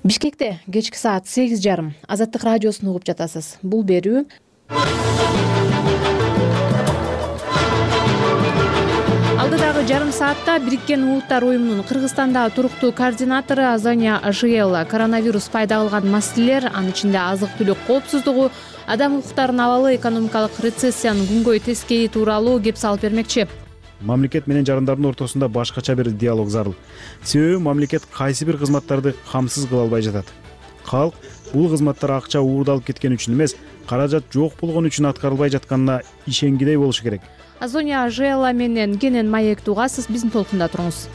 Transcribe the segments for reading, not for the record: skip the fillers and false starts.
Бишкекте кечки саат 8:30 Азаттык радиосун угуп жатасыз. Бул берүү алдыдагы жарым саатта Бириккен Улуттар уюмунун Кыргызстандагы туруктуу координатору Азония Ажиелла коронавирус пайда кылган маселелер, анын ичинде азык-түлүк коопсуздугу, адам укуктарын абалы, экономикалык рецессиянын күнгөй тескейи тууралуу кеп салып бермекчи. Мамлекет менен жарандардын ортосунда башкача бир диалог зарыл. Себеби мамлекет кайсы бир кызматтарды камсыз кыла албай жатат. Калк бул кызматтар акча уурдалып кеткен үчүн эмес, каражат жок болгон үчүн аткарылбай жатканына ишенгидей болушу керек. Азония Ажиелла менен кенен маектүү угасыз, биздин толкунда туруңуз.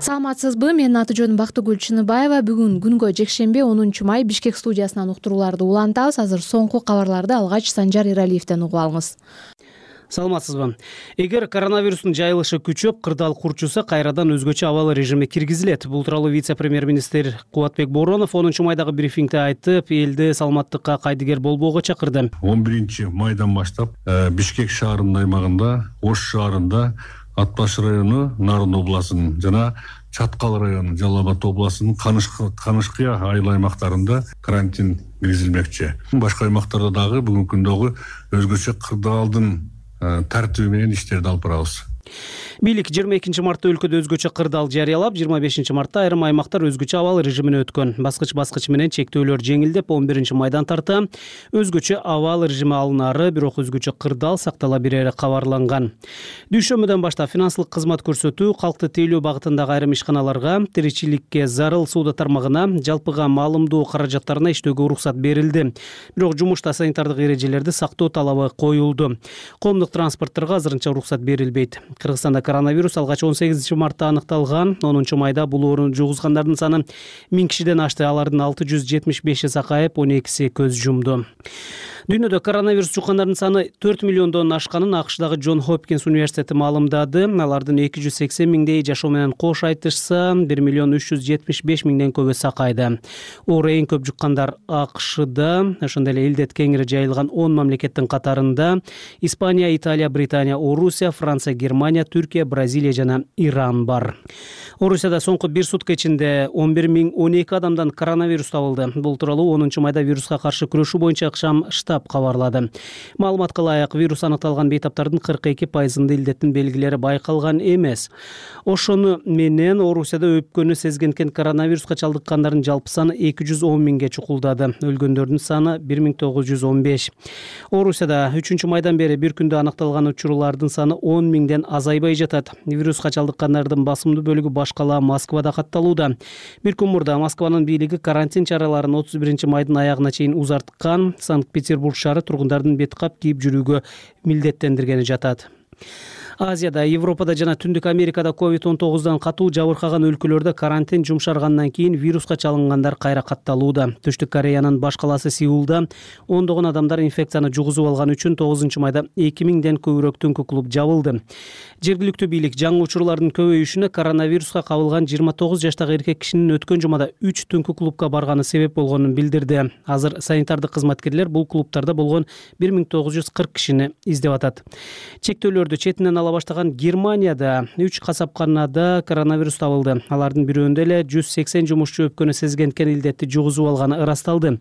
Саламатсызбы? Менин аты жөнүм Бактыгүл Чыныбаева. Бүгүн күнгө жекшемби 10 май Бишкек студиясынан уктурууларды улантабыз. Азыр соңку кабарларды алгач Санжар Иралиевден угуп алыңыз. Саламатсызбы? Эгер коронавирустун жайылышы күчөп, кырдаал курчуса, кайрадан өзгөчө абал режими киргизилет. Бул тууралуу вице-премьер-министр Кубатбек Боронов 10 майдагы брифингде айтып, элди саламаттыкка кайдыгер болбоого чакырды. 11 майдан баштап Бишкек шаарынын аймагында, Ош шаарында, Атбаш району, Нарын областынын жана Чаткал району, Жалал Абад областынын Канышкыя айыл аймактарында карантин киргизилмекчи. Башка аймактарда дагы бүгүнкү күндөгү өзгөчө кырдаалдын тартиби менен иштерди алып барабыз. Бийлик 22 мартта өлкөдө өзгөчө кырдаал жарыялап, 25 мартта айрым аймактар өзгөчө абал режимине өткөн. Баскыч менен чектөөлөр жеңилдеп, 11 майдан тарта өзгөчө абал режими алынары, бирок өзгөчө кырдаал сактала берери кабарланган. Дүйшөмбүдөн баштап финансылык кызмат көрсөтүү, калкты тейлөө багытындагы айрым ишканаларга, тиричиликке зарыл соода тармагына, жалпыга маалымдоо каражаттарына иштөөгө уруксат берилди. Бирок жумушта санитардык эрежелерди сактоо талабы коюлду. Коомдук транспортторго азырынча уруксат берилбейт. Кыргызстанда коронавирус алгач 18 мартта аныкталган. 10 майда бул оорууну жугузгандардын саны 1000 кишиден ашты. Алардын 675 сакайып, 12 көз жумду. Дүйнөдө коронавирус жуккандардын саны 4 миллиондон ашканын АКШдагы Джон Хопкинс университети маалымдады. Алардын 280 миңдей жашоо менен кош айтышса, 1 миллион 375 миңден көбү сакайды. Оору эң көп жуккандар АКШда, ошондой эле илдет кеңири жайылган 10 мамлекеттин катарында Испания, Италия, Британия, Орусия, Франция, Германия, Түркия, Бразилия жана Иран бар. Орусияда соңку 1 сутка ичинде 11.012 адамдан коронавирус табылды. Бул тууралуу 10 майда вируска каршы күрөшүү боюнча ыкшам штаб кабарлады. Маалыматка ылайык, вирус аныкталган бейтаптардын 42% илдеттин белгилери байкалган эмес. Ошону менен Орусияда өпкөнү сезгенкен коронавируска чалдыккандардын жалпы саны 210 миңге чукулдады. Өлгөндөрдүн саны 1915. Орусияда 3 майдан бери бир күндө аныкталган учурлардын саны 10 миңден азайбай жатат. Вируска чалдыккандардын басымдуу бөлүгү башкала Москвада катталууда. Бир күн мурда Москванын бийлиги карантин чараларын 31 майдын аягына чейин узарткан. Санкт-Петербург шаары тургундардын бет кап кийип жүрүүгө милдеттендиргени жатат. Азияда, Европада жана Түндүк Америкада COVID-19 катуу жабыркаган өлкөлөрдө карантин жумшаргандан кийин вируска чалынгандар кайра катталууда. Түштүк Кореянын баш калаасы Сеулда ондогон адамдар инфекцияны жугузуп алган үчүн 9 майда 2000ден көбүрөөк түнкү клуб жабылды. Жергиликтүү бийлик жаңы учурлардын көбөйүшүнө коронавируска кабылган 29 жаштагы эркек кишинин өткөн жумада 3 түнкү клубка барганы себеп болгонун билдирди. Азыр санитардык кызматкерлер бул клубтарда болгон 1940 кишини издеп атат. Чектөөлөрдү четинен ала баштаган Германияда 3 касапканада коронавирус табылды. Алардын бирөөндө эле 180 жумушчу өпкөнү сезгенкен илдетти жугузуп алганы ырасталды.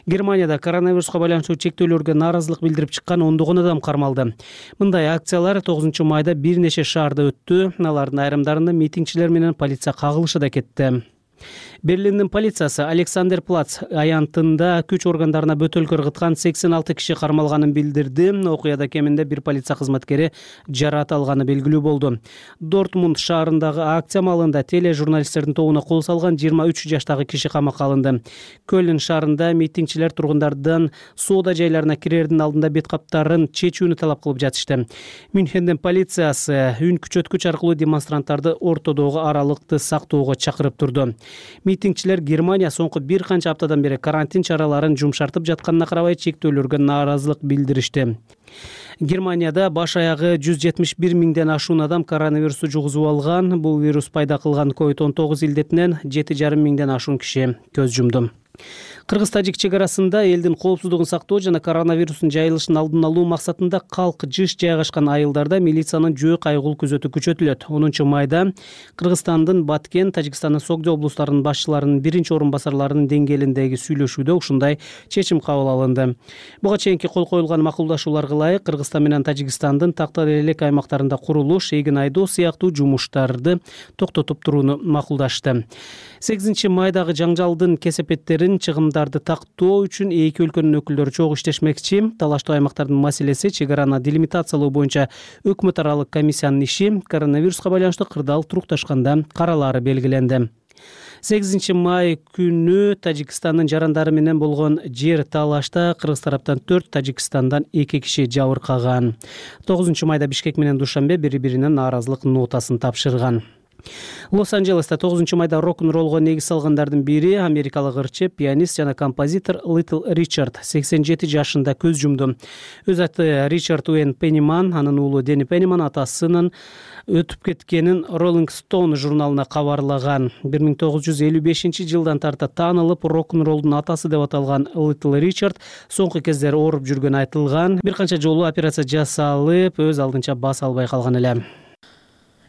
Германияда коронавируска байланыштуу чектөөлөргө нааразылык билдирип чыккан ондогон адам кармалды. Мындай акциялар 9 майда бир нече шаарда өттү. Алардын айрымдарында митингчилер менен полиция кагылышы да кетти. Берлиндин полициясы Александерплац аянтында күч органдарына бөтөлкө ыргыткан 86 киши кармалганын билдирди. Окуяда кеминде бир полиция кызматкери жараат алганы белгилүү болду. Дортмунд шаарындагы акция малында тележурналисттердин тобуна кол салган 23 жаштагы киши камакка алынды. Көлн шаарында митингчилер тургундардан соода жайларына кирердин алдында бет каптарын чечүүнү талап кылып жатышты. Мюнхендин полициясы үн күчөткүч аркылуу демонстранттарды ортодогу аралыкты сактоого чакырып турду. Митингчилер Германия соңку бир канча аптадан бери карантин чараларын жумшартып жатканына карабай чектөөлөргө нааразылык билдиришти. Германияда баш аягы 171 миңден ашуун адам коронавирусту жугузуп алган. Бул вирус пайда кылган COVID-19 илдетинен 7,5 миңден ашуун киши көз жумду. Кыргыз-тажик чек арасында элдин коопсуздугун сактоо жана коронавирустун жайылышын алдын алуу максатында калк жыш жайгашкан айылдарда милициянын жөө кайгыл күзөтү күчөтүлөт. 10 майда Кыргызстандын Баткен, Тажикстандын Согдо облустарынын башчыларынын биринчи орун басарларынын деңгээлиндеги сүйлөшүүдө ушундай чечим кабыл алынды. Буга чейинки кол коюлган макулдашууларга ылайык Кыргызстан менен Тажикстандын тактал элек аймактарында курулуш, эгин айдоо сыяктуу жумуштарды токтотуп турууну макулдашты. 8 майдагы жаңжалдын кесепеттерин, чыгымдарды тактоо үчүн эки өлкөнүн өкүлдөрү чогуу иштешмекчи. Талаштуу аймактардын маселеси чек араны делимитациялоо боюнча өкмөт аралык комиссиянын иши коронавируска байланыштуу кырдаал турукташканда каралаары белгиленди. 8 май күнү Тажикстандын жарандары менен болгон жер талашта кыргыз тараптан 4, Тажикстандан 2 киши жабыркаган. 9 майда Бишкек менен Душанбе бири-бирине нааразылык нотасын тапшырган. Лос-Анджелеста 9 майда рок-н-роллго негиз салгандардын бири америкалык ырчы, пианист жана композитор Литл Ричард 87 жашында көз жумду. Өз аты Ричард Уэйн Пенниман, анын уулу Дени Пенниман атасынын өтүп кеткенин Rolling Stone журналына кабарлаган. 1955 жылдан тарта таанылып, рок-н-роллдун атасы деп аталган Литл Ричард соңку кездери ооруп жүргөнү айтылган. Бир канча жолу операция жасалып, өз алдынча бас албай калган эле.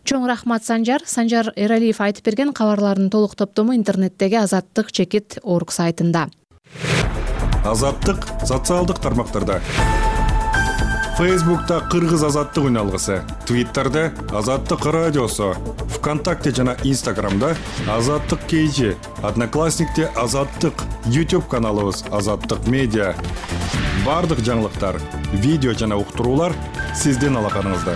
Чоң рахмат Санжар. Санжар Эралиев айтып берген кабарлардын толук топтому интернеттеги Азаттык.org сайтында. Азаттык социалдык тармактарда. Facebook'ta Кыргыз Азаттык үналгысы, Twitter'da Азаттык радиосу, ВКонтакте жана Instagram'da Азаттык KG, Одноклассникте Азаттык, YouTube каналыбыз Азаттык Медиа. Бардык жаңылыктар, видео жана уктуруулар сиздин алаканыңызда.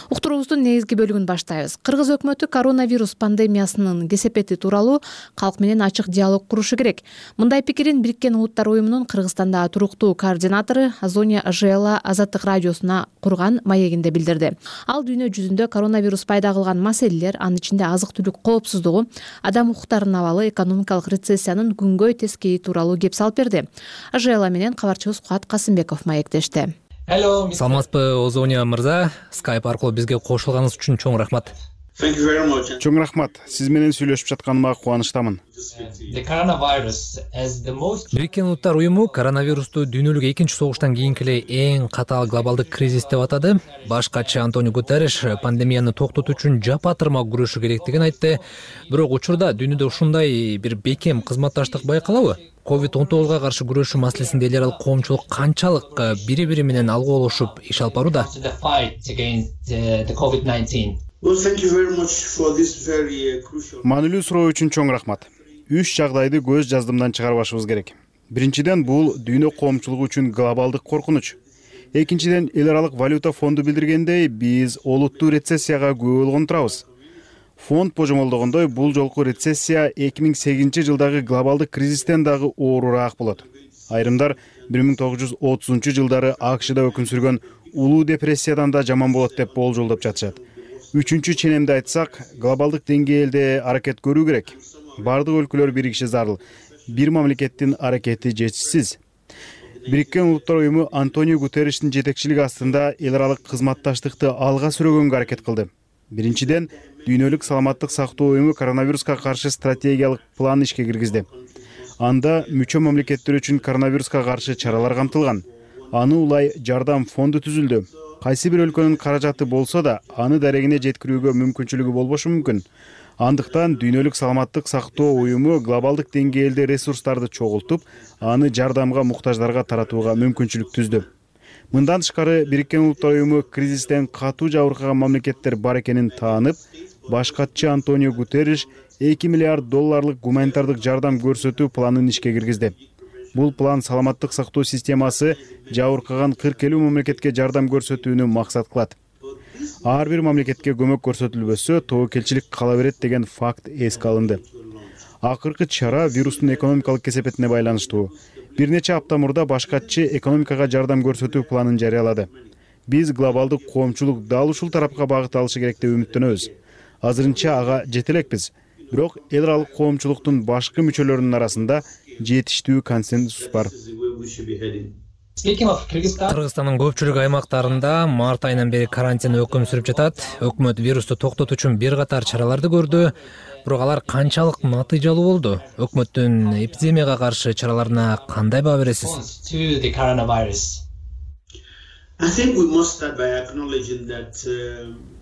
Уктуруубуздун негизги бөлүгүн баштайбыз. Кыргыз өкмөтү коронавирус пандемиясынын кесепети тууралуу калк менен ачык диалог курушу керек. Мындай пикирин Бириккен Улуттар уюмунун Кыргызстандагы туруктуу координатору Азония Ажела Азаттык радиосуна курган маегинде билдирди. Ал дүйнө жүзүндө коронавирус пайда кылган маселелер, анын ичинде азык-түлүк коопсуздугу, адам укуктарынын абалы, экономикалык рецессиянын күнгөй тескейи тууралуу кеп салып берди. Ажела менен кабарчыбыз Куат Касымбеков маектешти. Саламатсызбы, Озония мырза, Skype аркылуу бизге кошулганыңыз үчүн чоң рахмат. Чоң рахмат. Сиз менен сүйлөшүп жатканыма кубанычтамын. Бириккен Улуттар уюму коронавирусту дүйнөлүк экинчи согуштан кийинки эле эң катаал глобалдык кризис деп атады. Баш катчы Антонио Гутерриш пандемияны токтотуу үчүн жапа-тырмак күрөшүү керектигин айтты. Бирок учурда дүйнөдө ушундай бир бекем кызматташтык байкалабы? COVID-19 каршы күрөшүү маселесинде эл аралык коомчулук канчалык бири-бири менен алгоолошуп иш алып барууда? Маанилүү суроо үчүн чоң рахмат. 3 жагдайды көз жаздымдан чыгарбашыбыз керек. Биринчиден, бул дүйнө коомчулугу үчүн глобалдык коркунуч. Экинчиден, эл аралык валюта фонду билдиргендей, биз олуттуу рецессияга күбө болгон турабыз. Фонд божомолдогондой, бул жолку рецессия 2008 жылдагы глобалдык кризистен дагы оорураак болот. Айрымдар 1930 жылдары АКШда өкүм сүргөн улуу депрессиядан да жаман болот деп болжолдоп жатышат. Үчүнчү ченемди айтсак, глобалдык деңгээлде аракет көрүү керек. Бардык өлкөлөр биригиши зарыл. Бир мамлекеттин аракети жетишсиз. Бириккен Улуттар уюму Антонио Гутерриштин жетекчилиги астында эл аралык кызматташтыкты алга сүргөнгө аракет кылды. Биринчиден, дүйнөлүк саламаттык сактоо уюму коронавируска каршы стратегиялык план ишке киргизди. Анда мүчө мамлекеттер үчүн коронавируска каршы чаралар камтылган. Аны улай жардам фонду түзүлдү. Кайсы бир өлкөнүн каражаты болсо да, аны дарегине жеткирүүгө мүмкүнчүлүгү болбошу мүмкүн. Андыктан дүйнөлүк саламаттык сактоо уюму глобалдык деңгээлде ресурстарды чогултуп, аны жардамга муктаждарга таратууга мүмкүнчүлүк түздү. Мындан тышкары Бириккен Улуттар уюму кризистен катуу жабыркаган мамлекеттер бар экенин таанып, баш катчы Антонио Гутерриш $2 миллиард гуманитардык жардам көрсөтүү планын ишке киргизди. Бул план саламаттык сактоо системасы жабыркаган 47 мамлекетке жардам көрсөтүүнү максат кылат. Ар бир мамлекетке көмөк көрсөтүлбөсө, тобокелчилик кала берет деген факт эске алынды. Акыркы чара вирустун экономикалык кесепетине байланыштуу. Бир нече апта мурда баш катчы экономикага жардам көрсөтүү планын жарыялады. Биз глобалдык коомчулук дал ушул тарапка багыт алышы керек деп үмүттөнөбүз. Азырынча ага жете элекпиз. Бирок эл аралык коомчулуктун башкы мүчөлөрүнүн арасында жетиштүү консенсус бар. Кыргызстандын көпчүлүк аймактарында март айынан бери карантин өкүм сүрүп жатат. Өкмөт вирусту токтотуу үчүн бир катар чараларды көрдү, бирок алар канчалык натыйжалуу болду? Өкмөттүн эпидемияга каршы чараларына кандай баа бересиз?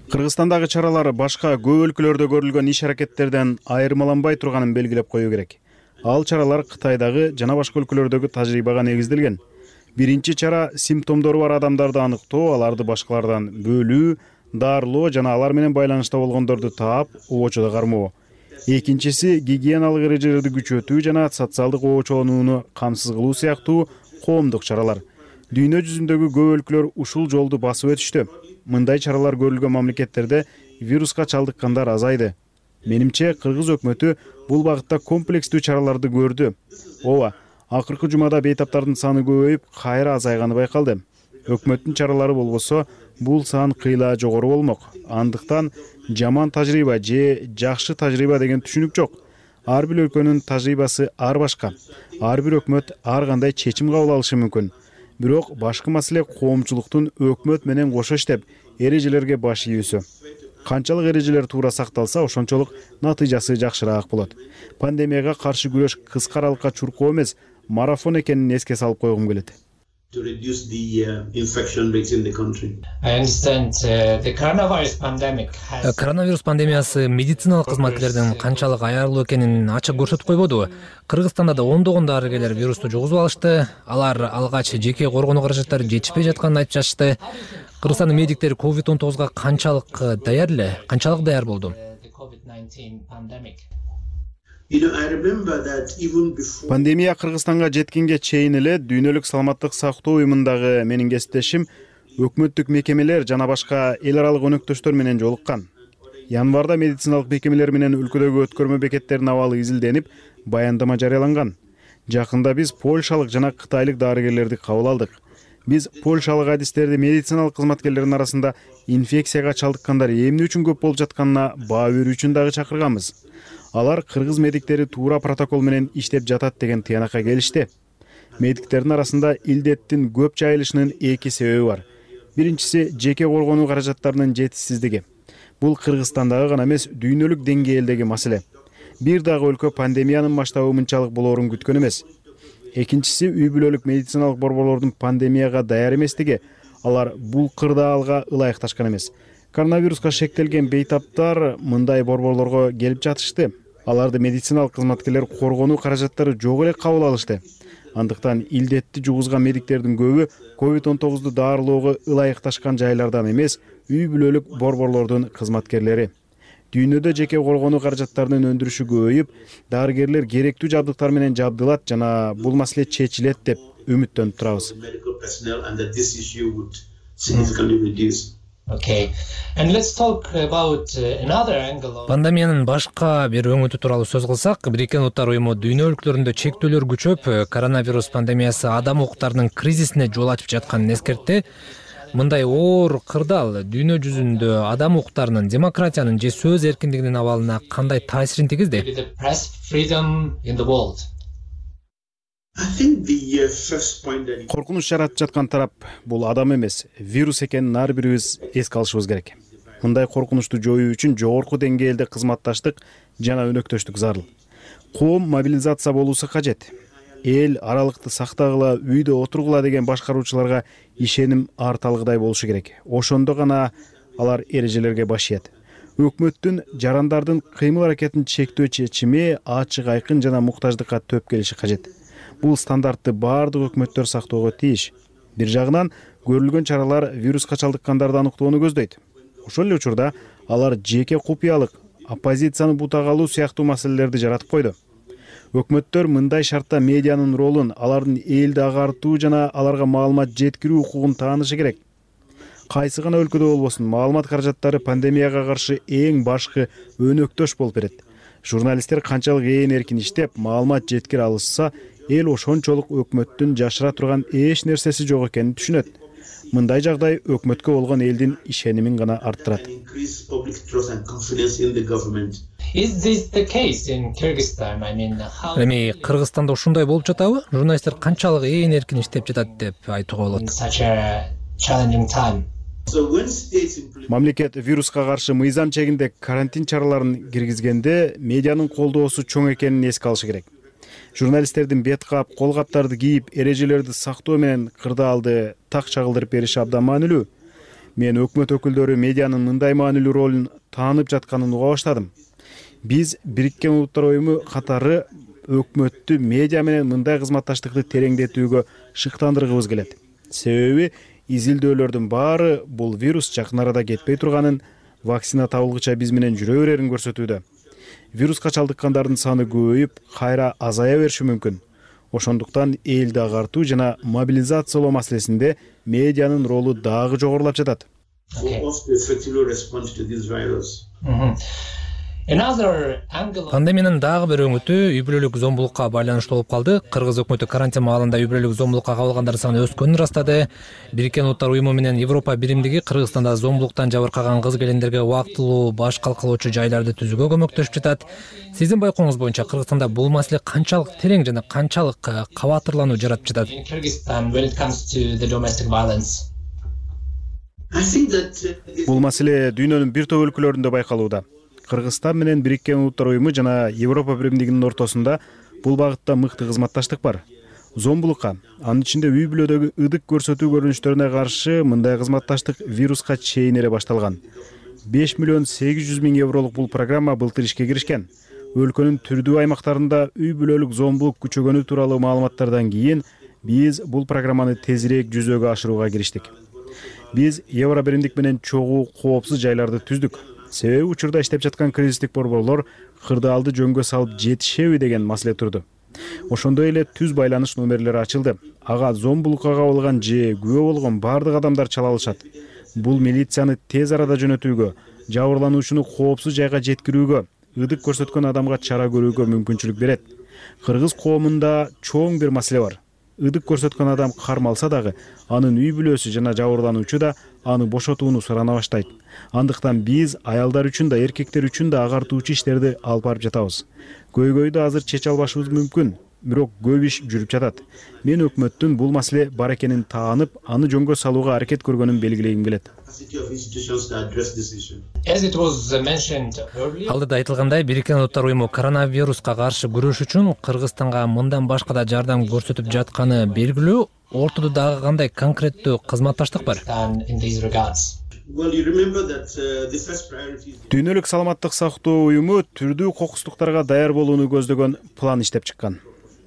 Кыргызстандагы чаралар башка көп өлкөлөрдө көрүлгөн иш-аракеттерден айырмаланбай турганын белгилеп коюу керек. Ал чаралар Кытайдагы жана башка өлкөлөрдөгү тажрыйбага негизделген. Биринчи чара симптомдору бар адамдарды аныктоо, аларды башкалардан бөлүү, дарылоо жана алар менен байланышта болгондорду таап, обочодо кармоо. Экинчиси гигиеналык эрежелерди күчөтүү жана социалдык обочолонууну камсыз кылуу сыяктуу коомдук чаралар. Дүйнө жүзүндөгү көп өлкөлөр ушул жолду басып өтүштү. Мындай чаралар көрүлгөн мамлекеттерде вируска чалдыккандар азайды. Менимче, Кыргыз өкмөтү бул багытта комплекстүү чараларды көрдү. Ооба, акыркы жумада бейтаптардын саны көбөйүп, кайра азайганы байкалды. Өкмөттүн чаралары болбосо, бул сан кыйла жогору болмок. Андыктан жаман тажрыйба же жакшы тажрыйба деген түшүнүк жок. Ар бир өлкөнүн тажрыйбасы ар башка. Ар бир өкмөт ар кандай чечим кабыл алышы мүмкүн. Бирок башкы маселе коомчулуктун өкмөт менен кошо иштеп, эрежелерге баш ийүүсү. Канчалык эрежелер туура сакталса, ошончолук натыйжасы жакшыраак болот. Пандемияга каршы күрөш кыска аралыкка чуркоо эмес, марафон экенин эске салып койгум келет. Коронавирус пандемиясы медициналык кызматкерлердин канчалык аярлуу экенин ачык көрсөтүп койбодубу? Кыргызстанда да ондогон дарыгерлер вирусту жугузуп алышты. Алар алгач жеке коргонуу каражаттары жетишпей жатканын айтып жатышты. Кыргызстандын медиктери COVID-19га канчалык даяр болду? Пандемия Кыргызстанга жеткенге чейин эле дүйнөлүк саламаттык сактоо уюмундагы менин кесиптешим өкмөттүк мекемелер жана башка эл аралык өнөктөштөр менен жолуккан. Январда медициналык мекемелер менен өлкөдөгү өткөрмө бекеттеринин абалы изилденип, баяндама жарыяланган. Жакында биз польшалык жана кытайлык дарыгерлерди кабыл алдык. Биз польшалык адистерди медициналык кызматкерлердин арасында инфекцияга чалдыккандар эмне үчүн көп болуп жатканына баа берүү үчүн дагы чакырганбыз. Алар кыргыз медиктери туура протокол менен иштеп жатат деген тыянакка келишти. Медиктердин арасында илдеттин көп жайылышынын эки себеби бар. Биринчиси жеке коргонуу каражаттарынын жетишсиздиги. Бул Кыргызстандагы гана эмес, дүйнөлүк деңгээлдеги маселе. Бир дагы өлкө пандемиянын масштабы мынчалык болоорун күткөн эмес. Экинчиси үй бүлөлүк медициналык борборлордун пандемияга даяр эместиги. Алар бул кырдаалга ылайыкташкан эмес. Коронавируска шектелген бейтаптар мындай борборлорго келип жатышты. Аларды медициналык кызматкерлер коргонуу каражаттары жок эле кабыл алышты. Андыктан илдетти жугузган медиктердин көбү COVID-19ду дарылоого ылайыкташкан жайлардан эмес, үй бүлөлүк борборлордун кызматкерлери. Дүйнөдө жеке коргонуу каражаттарынын өндүрүшү көбөйүп, дарыгерлер керектүү жабдыктар менен жабдылат жана бул маселе чечилет деп үмүттөнүп турабыз. Пандемиянын башка бир өңүтү тууралуу сөз кылсак, Бириккен Уттар уюму дүйнө өлкөлөрүндө чектөөлөр күчөп, коронавирус пандемиясы адам укуктарынын кризисине жол ачып жатканын эскертти. Мындай оор кырдаал дүйнө жүзүндө адам укуктарынын, демократиянын же сөз эркиндигинин абалына кандай таасирин тийгизди? Коркунуч жаратып жаткан тарап бул адам эмес, вирус экенин ар бирибиз эске алышыбыз керек. Мындай коркунучту жоюу үчүн жогорку деңгээлде кызматташтык жана өнөктөштүк зарыл. Коом мобилизация болуусу кажет. Эл аралыкты сактагыла, үйдө отургула деген башкаруучуларга ишеним арталгыдай болушу керек. Ошондо гана алар эрежелерге баш ийет. Өкмөттүн жарандардын кыймыл аракетин чектөө чечими ачык, айкын жана муктаждыкка төп келиши кажет. Бул стандартты баардык өкмөттөр сактоого тийиш. Бир жагынан көрүлгөн чаралар вируска чалдыккандарды аныктоону көздөйт. Ошол эле учурда алар жеке купуялык, оппозицияны бутага алуу сыяктуу маселелерди жаратып койду. Өкмөттөр мындай шартта медианын ролун, алардын элди агартуу жана аларга маалымат жеткирүү укугун таанышы керек. Кайсы гана өлкөдө болбосун, маалымат каражаттары пандемияга каршы эң башкы өнөктөш болуп берет. Журналисттер канчалык эркин иштеп, маалымат жеткире алышса, эл ошончолук өкмөттүн жашыра турган эч нерсеси жок экенин түшүнөт. Мындай жагдай өкмөткө болгон элдин ишенимин гана арттырат. Эми Кыргызстанда ушундай болуп жатабы? Журналисттер канчалык эркин иштеп жатат деп айтууга болот. Мамлекет вируска каршы мыйзам чегинде карантин чараларын киргизгенде медианын колдоосу чоң экенин эске алыш керек. Журналисттердин бет кап, кол каптарды кийип, эрежелерди сактоо менен кырдаалды так чагылдырып бериши абдан маанилүү. Мен өкмөт өкүлдөрү медианын мындай маанилүү ролун таанып жатканын уга баштадым. Биз Бириккен Улуттар Уюму катары өкмөттү медиа менен мындай кызматташтыкты тереңдетүүгө шыктандыргыбыз келет. Себеби изилдөөлөрдүн баары бул вирус жакын арада кетпей турганын, вакцина табылгыча биз менен жүрө берерин көрсөтүүдө. Вируска чалдыккандардын саны көбөйүп, кайра азая бериши мүмкүн. Ошондуктан элди агартуу жана мобилизациялоо маселесинде медианын ролу дагы жогорулап жатат. Пандемиянын дагы бир өңүтү үй бүлөлүк зомбулукка байланыштуу болуп калды. Кыргыз өкмөтү карантин маалында үй бүлөлүк зомбулукка кабылгандардын саны өскөнүн ырастады. Бириккен Улуттар Уюму менен Европа биримдиги Кыргызстанда зомбулуктан жабыркаган кыз-келиндерге убактылуу баш калкалоочу жайларды түзүүгө көмөктөшүп жатат. Сиздин байкооңуз боюнча Кыргызстанда бул маселе канчалык терең жана канчалык кабатырлануу жаратып жатат? Бул маселе дүйнөнүн бир топ өлкөлөрүндө байкалууда. Кыргызстан менен Бириккен Улуттар Уюму жана Европа биримдигинин ортосунда бул багытта мыкты кызматташтык бар. Зомбулукка, анын ичинде үй бүлөдөгү ыдык көрсөтүү көрүнүштөрүнө каршы мындай кызматташтык вируска чейин эле башталган. 5 миллион 800 миң евролук бул программа былтыр ишке киришкен. Өлкөнүн түрдүү аймактарында үй бүлөлүк зомбулук күчөгөнү тууралуу маалыматтардан кийин биз бул программаны тезирээк жүзөгө ашырууга кириштик. Биз Евро биримдик менен чогуу коопсуз жайларды түздүк. Себеби учурда иштеп жаткан кризистик борборлор кырдаалды жөнгө салып жетишеби деген маселе турду. Ошондой эле түз байланыш номерлери ачылды. Ага зомбулукка кабылган же күбө болгон бардык адамдар чала алышат. Бул милицияны тез арада жөнөтүүгө, жабырлануучуну коопсуз жайга жеткирүүгө, ыдык көрсөткөн адамга чара көрүүгө мүмкүнчүлүк берет. Кыргыз коомунда чоң бир маселе бар. Ыдык көрсөткөн адам кармалса дагы, анын үй бүлөсү жана жабырлануучу да аны бошотууну сурана баштайт. Андыктан биз аялдар үчүн да, эркектер үчүн да агартуучу иштерди алып барып жатабыз. Көйгөйдү азыр чече албашыбыз мүмкүн, бирок көп иш жүрүп жатат. Мен өкмөттүн бул маселе бар экенин таанып, аны жөнгө салууга аракет көргөнүн белгилегим келет. Алдыда айтылгандай, Бириккен Улуттар Уюму коронавируска каршы күрөш үчүн Кыргызстанга мындан башка да жардам көрсөтүп жатканы белгилүү. Ортодо дагы кандай конкреттүү кызматташтык бар? Дүйнөлүк саламаттык сактоо уюму түрдүү кокустуктарга даяр болууну көздөгөн план иштеп чыккан.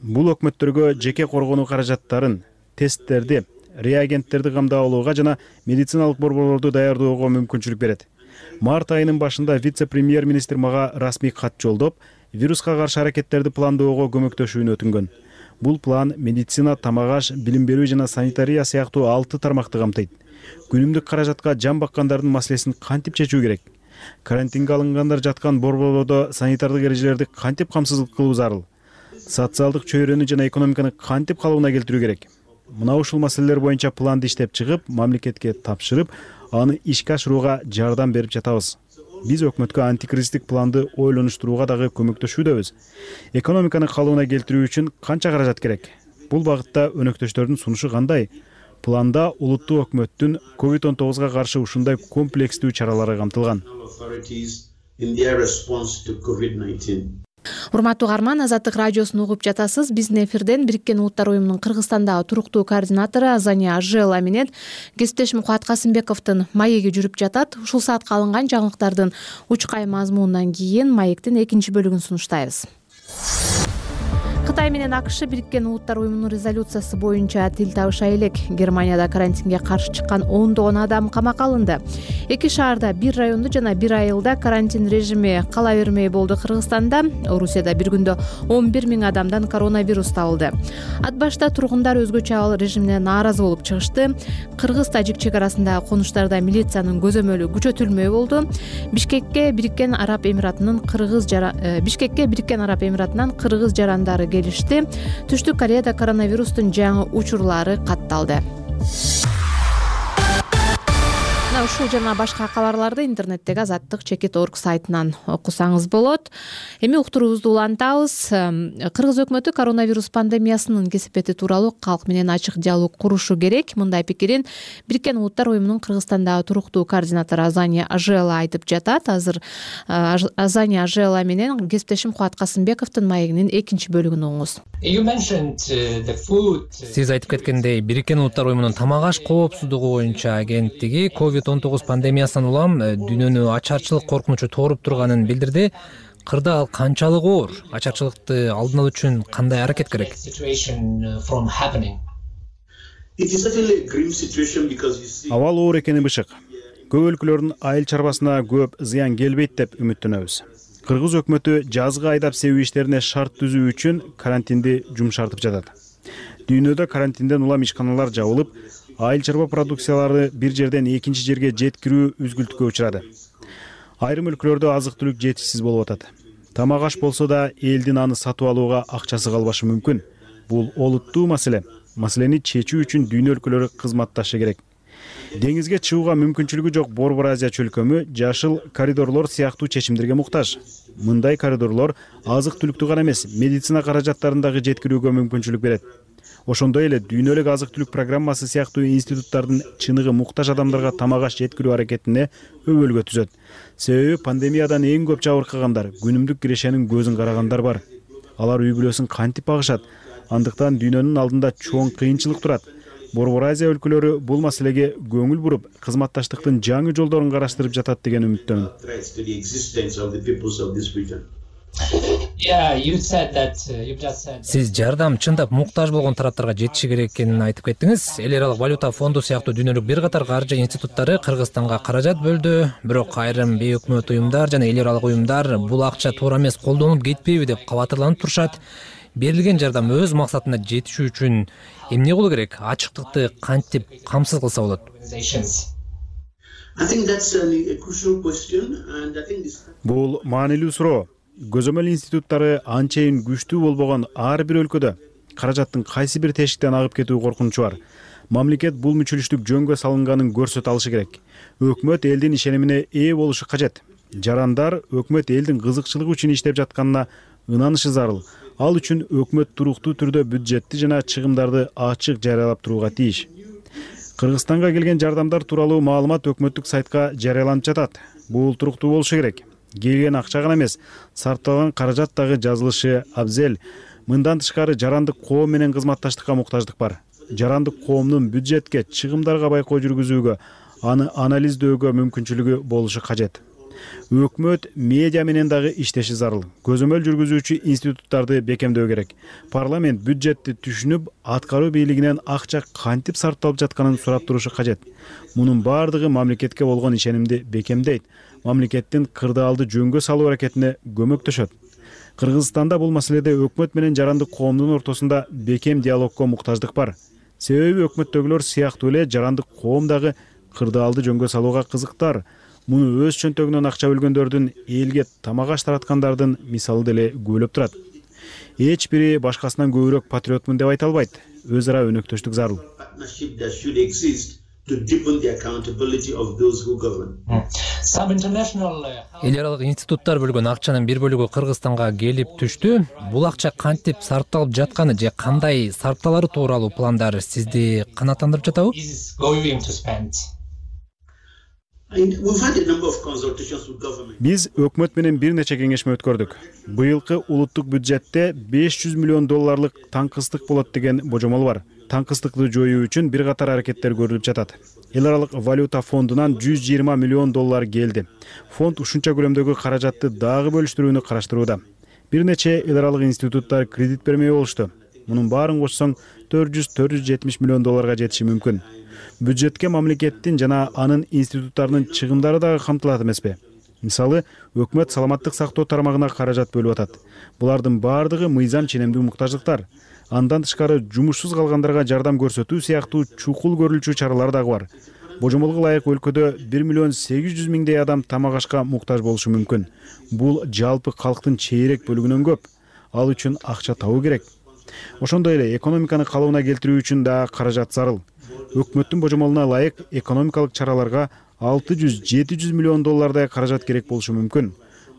Бул өкмөттөргө жеке коргонуу каражаттарын, тесттерди, реагенттерди камдап алууга жана медициналык борборлорду даярдоого мүмкүнчүлүк берет. Март айынын башында вице-премьер-министр мага расмий кат жолдоп, вируска каршы аракеттерди пландоого көмөктөшүүнү өтүнгөн. Бул план медицина, тамак-аш, билим берүү жана санитария сыяктуу 6 тармакты камтыйт. Күнүмдүк каражатка жан баккандардын маселесин кантип чечүү керек? Карантинге алынгандар жаткан борборлордо санитардык эрежелерди кантип камсыздык кылуу зарыл? Социалдык чөйрөнү жана экономиканы кантип калыбына келтирүү керек? Мына ушул маселелер боюнча планды иштеп чыгып, мамлекетке тапшырып, аны ишке ашырууга жардам берип жатабыз. Биз өкмөткө антикризистик планды ойлонуштурууга дагы көмөктөшүүдөбүз. Экономиканы калыбына келтирүү үчүн канча каражат керек? Бул багытта өнөктөштөрдүн сунушу кандай? Планда улуттуу өкмөттүн COVID-19 каршы ушундай комплекстүү чаралары камтылган. Урматтуу угарман, Азаттык радиосун угуп жатасыз. Биздин эфирден Бириккен Улуттар Уюмунун Кыргызстандагы туруктуу координатору Азания Ажела менен кесиптешим Кубат Касымбековдун маеги жүрүп жатат. Ушул саатка алынган жаңылыктардын учкай мазмунунан кийин маектин экинчи бөлүгүн сунуштайбыз. Кытай менен АКШ Бириккен Улуттар Уюмунун резолюциясы боюнча тил табыша элек. Германияда карантинге каршы чыккан ондогон адам камакка алынды. 2 шаарда, 1 райондо жана 1 айылда карантин режими кала бермей болду. Кыргызстанда, Орусияда бир күндө 11 миң адамдан коронавирус табылды. Ат башта тургундар өзгөчө абал режимине нааразы болуп чыгышты. Кыргыз-тажик чек арасындагы конуштарда милициянын көзөмөлү күчөтүлмөй болду. Бишкекке Бириккен Араб Эмиратынан кыргыз жарандары келишти. Түштүк Кореяда коронавирустун жаңы учурлары катталды. ушул жана башка кабарларды интернеттеги azattik.org сайтынан окусаңыз болот. Эми уктуруубузду улантабыз. Кыргыз өкмөтү коронавирус пандемиясынын кесепети тууралуу калк менен ачык диалог курушу керек. Мындай пикирин Бириккен Улуттар уюмунун Кыргызстандагы туруктуу координатору Азания Ажела айтып жатат. Азыр Азания Ажела менен кесиптешим Кубат Касымбековдун маегинин экинчи бөлүгүн угуңуз. Сиз айтып кеткендей, Бириккен Улуттар уюмунун тамак аш коопсуздугу боюнча агенттиги COVID-19 пандемиясынан улам дүйнөнү ачарчылык коркунучу тооруп турганын билдирди. Кырдаал канчалык оор? Ачарчылыкты алдын алуу үчүн кандай аракет керек? Абал оор экени бышык. Көп өлкөлөрдүн айыл чарбасына көп зыян келбейт деп үмүттөнөбүз. Кыргыз өкмөтү жазгы айдап себүү иштерине шарт түзүү үчүн карантинди жумшартып жатат. Дүйнөдө карантинден улам ишканалар жабылып, айыл чарба продукциялары бир жерден экинчи жерге жеткирүү үзгүлтүккө учурады. Айрым өлкөлөрдө азык-түлүк жетишсиз болуп атат. Тамак аш болсо да элдин аны сатып алууга акчасы калбашы мүмкүн. Бул олуттуу маселе. Маселени чечүү үчүн дүйнө өлкөлөрү кызматташы керек. Деңизге чыгууга мүмкүнчүлүгү жок Борбор Азия чөлкөмү жашыл коридорлор сыяктуу чечимдерге муктаж. Мындай коридорлор азык-түлүктү гана эмес, медицина каражаттарын дагы жеткирүүгө мүмкүнчүлүк берет. Ошондой эле дүйнөлүк азык-түлүк программасы сыяктуу институттардын чыныгы муктаж адамдарга тамак аш жеткирүү аракетине өбөлгө түзөт. Себеби пандемиядан эң көп жабыркагандар, күнүмдүк кирешенин көзүн карагандар бар. Алар үй бүлөсүн кантип багышат? Андыктан дүйнөнүн алдында чоң кыйынчылык турат. Борбор Азия өлкөлөрү бул маселеге көңүл буруп, кызматташтыктын жаңы жолдорун караштырып жатат деген үмүттөмүн. Сиз жардам чындап муктаж болгон тараптарга жетиши керек экенин айтып кеттиңиз. Эл аралык валюта фонду сыяктуу дүйнөлүк бир катар каржы институттары Кыргызстанга каражат бөлдү. Бирок айрым бейөкмөт уюмдар жана эл аралык уюмдар бул акча туура эмес колдонулуп кетпейби деп кабатырланып турушат. Берилген жардам өз максатына жетиши үчүн эмне кылуу керек? Ачыктыкты кантип камсыз кылса болот? Бул маанилүү суроо. Көзөмөл институттары анчейин күчтүү болбогон ар бир өлкөдө каражаттын кайсы бир тешиктен агып кетүү коркунучу бар. Мамлекет бул мүчүлүштүк жөнгө салынганын көрсөтө алышы керек. Өкмөт элдин ишенимине ээ болушу кажет. Жарандар өкмөт элдин кызыкчылыгы үчүн иштеп жатканына ынанышы зарыл. Ал үчүн өкмөт туруктуу түрдө бюджетти жана чыгымдарды ачык жарыялап турууга тийиш. Кыргызстанга келген жардамдар тууралуу маалымат өкмөттүк сайтка жарыяланып жатат. Бул туруктуу болушу керек. Келген акча гана эмес, сарпталган каражат дагы жазылышы абзел. Мындан тышкары жарандык коом менен кызматташтыкка муктаждык бар. Жарандык коомдун бюджетке, чыгымдарга байкоо жүргүзүүгө, аны анализдөөгө мүмкүнчүлүгү болушу кажет. Өкмөт медиа менен дагы иштеши зарыл. Көзөмөл жүргүзүүчү институттарды бекемдөө керек. Парламент бюджетти түшүнүп, аткаруу бийлигинен акча кантип сарпталып жатканын сурап турушу кажет. Мунун бардыгы мамлекетке болгон ишенимди бекемдейт. Мамлекеттин кырдаалды жөнгө салуу аракетине көмөктөшөт. Кыргызстанда бул маселеде өкмөт менен жарандык коомдун ортосунда бекем диалогко муктаждык бар. Себеби өкмөттөгүлөр сыяктуу эле жарандык коом дагы кырдаалды жөнгө салууга кызыктар. Муну өз чөнтөгүнөн акча бөлгөндөрдүн элге тамак аш тараткандардын мисалы деле күбөлөп турат. Эч бири башкасынан көбүрөөк патриотмун деп айта албайт. Өз ара өнөктөштүк зарыл. Эл аралык институттар бөлгөн акчанын бир бөлүгү Кыргызстанга келип түштү. Бул акча кантип сарпталып жатканы же кандай сарпталары тууралуу пландар сизди канааттандырып жатабы? Биз өкмөт менен бир нече кеңешме өткөрдүк. Быйылкы улуттук бюджетте $500 миллион таңкыстык болот деген божомол бар. Таңкыстыкты жоюу үчүн бир катар аракеттер көрүлүп жатат. Эл аралык валюта фондунан $120 миллион келди. Фонд ушунча көлөмдөгү каражатты дагы бөлүштүрүүнү караштырууда. Бир нече эл аралык институттар кредит бермей болушту. Мунун баарын кошсоң $400-470 миллион жетиши мүмкүн. Бюджетке мамлекеттин жана анын институттарынын чыгымдары дагы камтылат эмеспи? Мисалы, өкмөт саламаттык сактоо тармагына каражат бөлүп атат. Булардын бардыгы мыйзам ченемдүү муктаждыктар. Андан тышкары жумушсуз калгандарга жардам көрсөтүү сыяктуу чукул көрүлчү чаралар дагы бар. Божомолго ылайык өлкөдө 1,8 миллион адам тамак ашка муктаж болушу мүмкүн. Бул жалпы калктын чейрек бөлүгүнөн көп. Ал үчүн акча табуу керек. Ошондой эле экономиканы калыбына келтирүү үчүн да каражат зарыл. Өкмөттүн божомолуна ылайык экономикалык чараларга $600–700 миллион каражат керек болушу мүмкүн.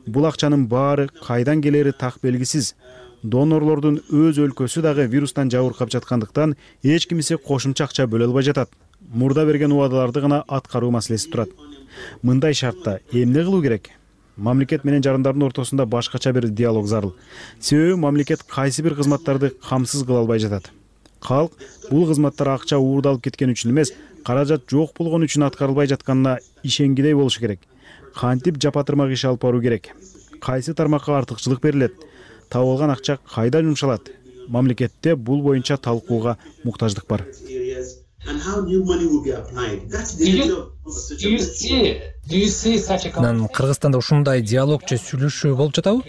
Бул акчанын баары кайдан келери так белгисиз. Донорлордун өз өлкөсү дагы вирустан жабыркап жаткандыктан эч кимиси кошумча акча бөлө албай жатат. Мурда берген убадаларды гана аткаруу маселеси турат. Мындай шартта эмне кылуу керек? Мамлекет менен жарандардын ортосунда башкача бир диалог зарыл. Себеби мамлекет кайсы бир кызматтарды камсыз кыла албай жатат. Калк бул кызматтар акча уурдалып кеткен үчүн эмес, каражат жок болгон үчүн аткарылбай жатканына ишенгидей болушу керек. Кантип жапатырмак иш алып баруу керек? Кайсы тармакка артыкчылык берилет? Табылган акча кайда жумшалат? Мамлекетте бул боюнча талкууга муктаждык бар. Кыргызстанда ушундай диалог же сүйлөшүү болуп жатабы?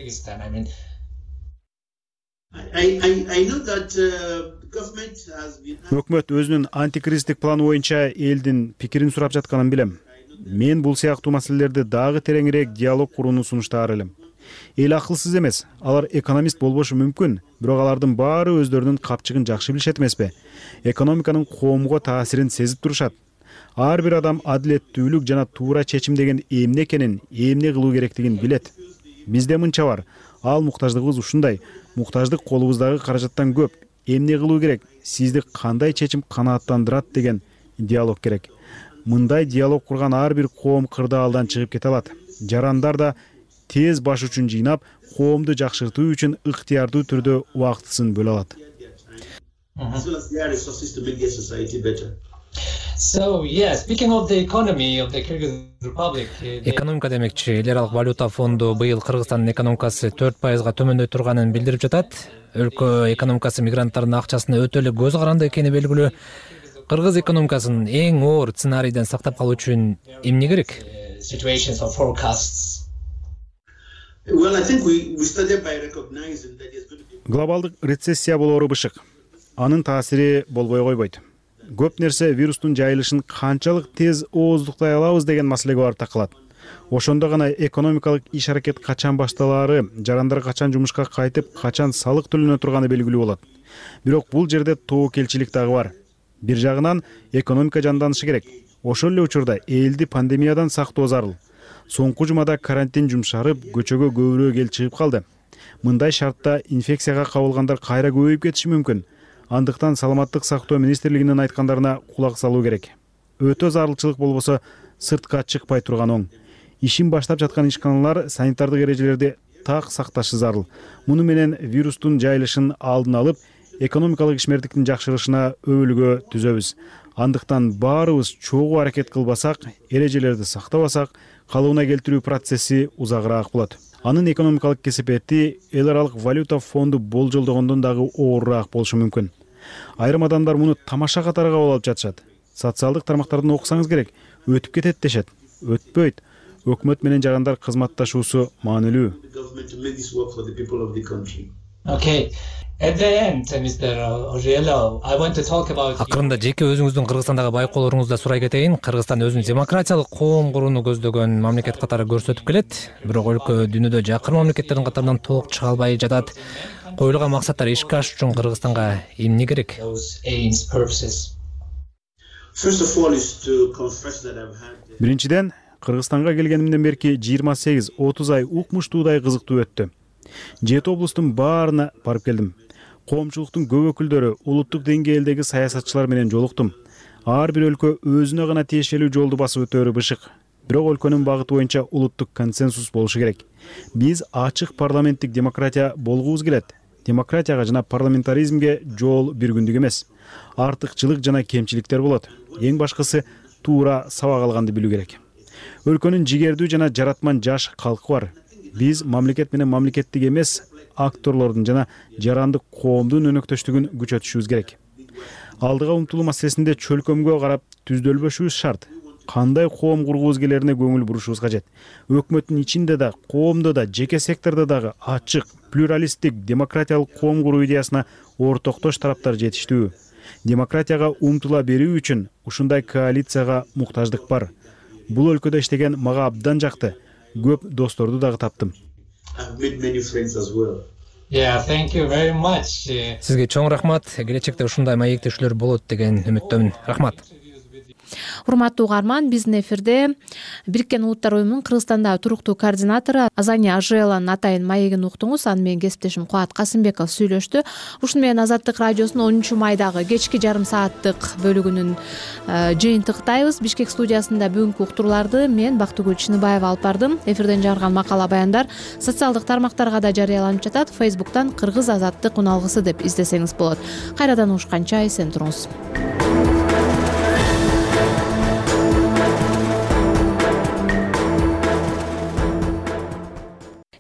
Өкмөт өзүнүн антикризистик планы боюнча элдин пикирин сурап жатканын билем. Мен бул сыяктуу маселелерди дагы тереңирээк диалог курууну сунуштаар элем. Эл акылсыз эмес, алар экономист болбошу мүмкүн, бирок алардын баары өздөрүнүн капчыгын жакшы билишет эмеспи? Экономиканын коомго таасирин сезип турушат. Ар бир адам адилеттүүлүк жана туура чечим деген эмне экенин, эмне кылуу керектигин билет. Бизде мынча бар. Ал муктаждыгыбыз ушундай. Муктаждык колубуздагы каражаттан көп. Эмне кылуу керек? Сизди кандай чечим канааттандырат деген диалог керек. Мындай диалог курган ар бир коом кырдаалдан чыгып кете алат. Жарандар да тез баш учун жыйнап, коомду жакшыртуу үчүн ыктыярдуу түрдө убактысын бөлө алат. Экономика демекчи, эл аралык валюта фонду быйыл Кыргызстандын экономикасы 4%га төмөндөй турганын билдирип жатат. Өлкө экономикасы мигранттардын акчасына өтө эле көз каранды экени белгилүү. Кыргыз экономикасын эң оор сценарийден сактап калуу үчүн эмне керек? Глобалдык рецессия болоору бышык. Анын таасири болбой койбойт. Көп нерсе вирустун жайылышын канчалык тез ооздуктай алабыз деген маселеге барып такалат. Ошондо гана экономикалык иш-аракет качан башталаары, жарандар качан жумушка кайтып, качан салык төлөнө турганы белгилүү болот. Бирок бул жерде тобокелчилик дагы бар. Бир жагынан экономика жанданышы керек. Ошол эле учурда элди пандемиядан сактоо зарыл. Соңку жумада карантин жумшарып, көчөгө көбүрөөк эл чыгып калды. Мындай шартта инфекцияга кабылгандар кайра көбөйүп кетиши мүмкүн. Андыктан саламаттык сактоо министрлигинин айткандарына кулак салуу керек. Өтө зарылчылык болбосо сыртка чыкпай турган оң. Ишин баштап жаткан ишканалар санитардык эрежелерди так сакташы зарыл. Муну менен вирустун жайылышын алдын алып, экономикалык ишмердиктин жакшырышына өбөлгө түзөбүз. Андыктан баарыбыз чогуу аракет кылбасак, эрежелерди сактабасак, калыбына келтирүү процесси узагыраак болот. Анын экономикалык кесепети эл аралык валюта фонду болжолдогондон дагы оорураак болушу мүмкүн. Айрым адамдар муну тамаша катары кабыл алып жатышат. Социалдык тармактардан окусаңыз керек, өтүп кетет дешет. Өтпөйт. Өкмөт менен жарандар кызматташуусу маанилүү. Акырында жеке өзүңүздүн Кыргызстандагы байкоолоруңузду сурай кетейин. Кыргызстан өзүн демократиялык коом курууну көздөгөн мамлекет катары көрсөтүп келет. Бирок өлкө дүйнөдө жакын мамлекеттердин катарынан толук чыга албай жатат. Коюлган максаттар ишке ашыш үчүн Кыргызстанга эмне керек? Биринчиден, Кыргызстанга келгенимден берки 28-30 ай укмуштуудай кызыктуу өттү. 7 облустун баарына барып келдим. Коомчулуктун көп өкүлдөрү, улуттук деңгээлдеги саясатчылар менен жолуктум. Ар бир өлкө өзүнө гана тиешелүү жолду басып өтөөрү бышык. Бирок өлкөнүн багыты боюнча улуттук консенсус болушу керек. Биз ачык парламенттик демократия болгубуз келет. Демократияга жана парламентаризмге жол бир күндүк эмес. Артыкчылык жана кемчиликтер болот. Эң башкысы туура сабак алганды билүү керек. Өлкөнүн жигердүү жана жаратман жаш калкы бар. Биз мамлекет менен мамлекеттик эмес акторлордун жана жарандык коомдун өнөктөштүгүн күчөтүшүбүз керек. Алдыга умтулуу маселесинде чөлкөмгө карап түздөлбөшүбүз шарт. Кандай коом кургубуз келерине көңүл бурушубуз кажет. Өкмөттүн ичинде да, коомдо да, жеке сектордо дагы ачык, плюралисттик, демократиялык коом куруу идеясына ортоктош тараптар жетиштүү. Демократияга умтула берүү үчүн ушундай коалицияга муктаждык бар. Бул өлкөдө иштеген мага абдан жакты. Көп досторду дагы таптым. Сизге чоң рахмат. Келечекте ушундай маектешүүлөр болот деген үмүттөмүн. Рахмат. Урматтуу угарман, биздин эфирде Бириккен Улуттар уюмунун Кыргызстандагы туруктуу координатору Азания Ажиеланын атайын маегин уктуңуз. Аны менен кесиптешим Кубат Касымбеков сүйлөштү. Ушуну менен Азаттык радиосунун 10 майдагы кечки жарым сааттык бөлүгүнүн жыйынтыктайбыз. Бишкек студиясында бүгүнкү уктурууларды мен Бактыгүл Чыныбаева алып бардым. Эфирден жарган макала баяндар социалдык тармактарга да жарыяланып жатат. Facebook'тан Кыргыз Азаттык уналгысы деп издесеңиз болот. Кайрадан угушканча эсен туруңуз.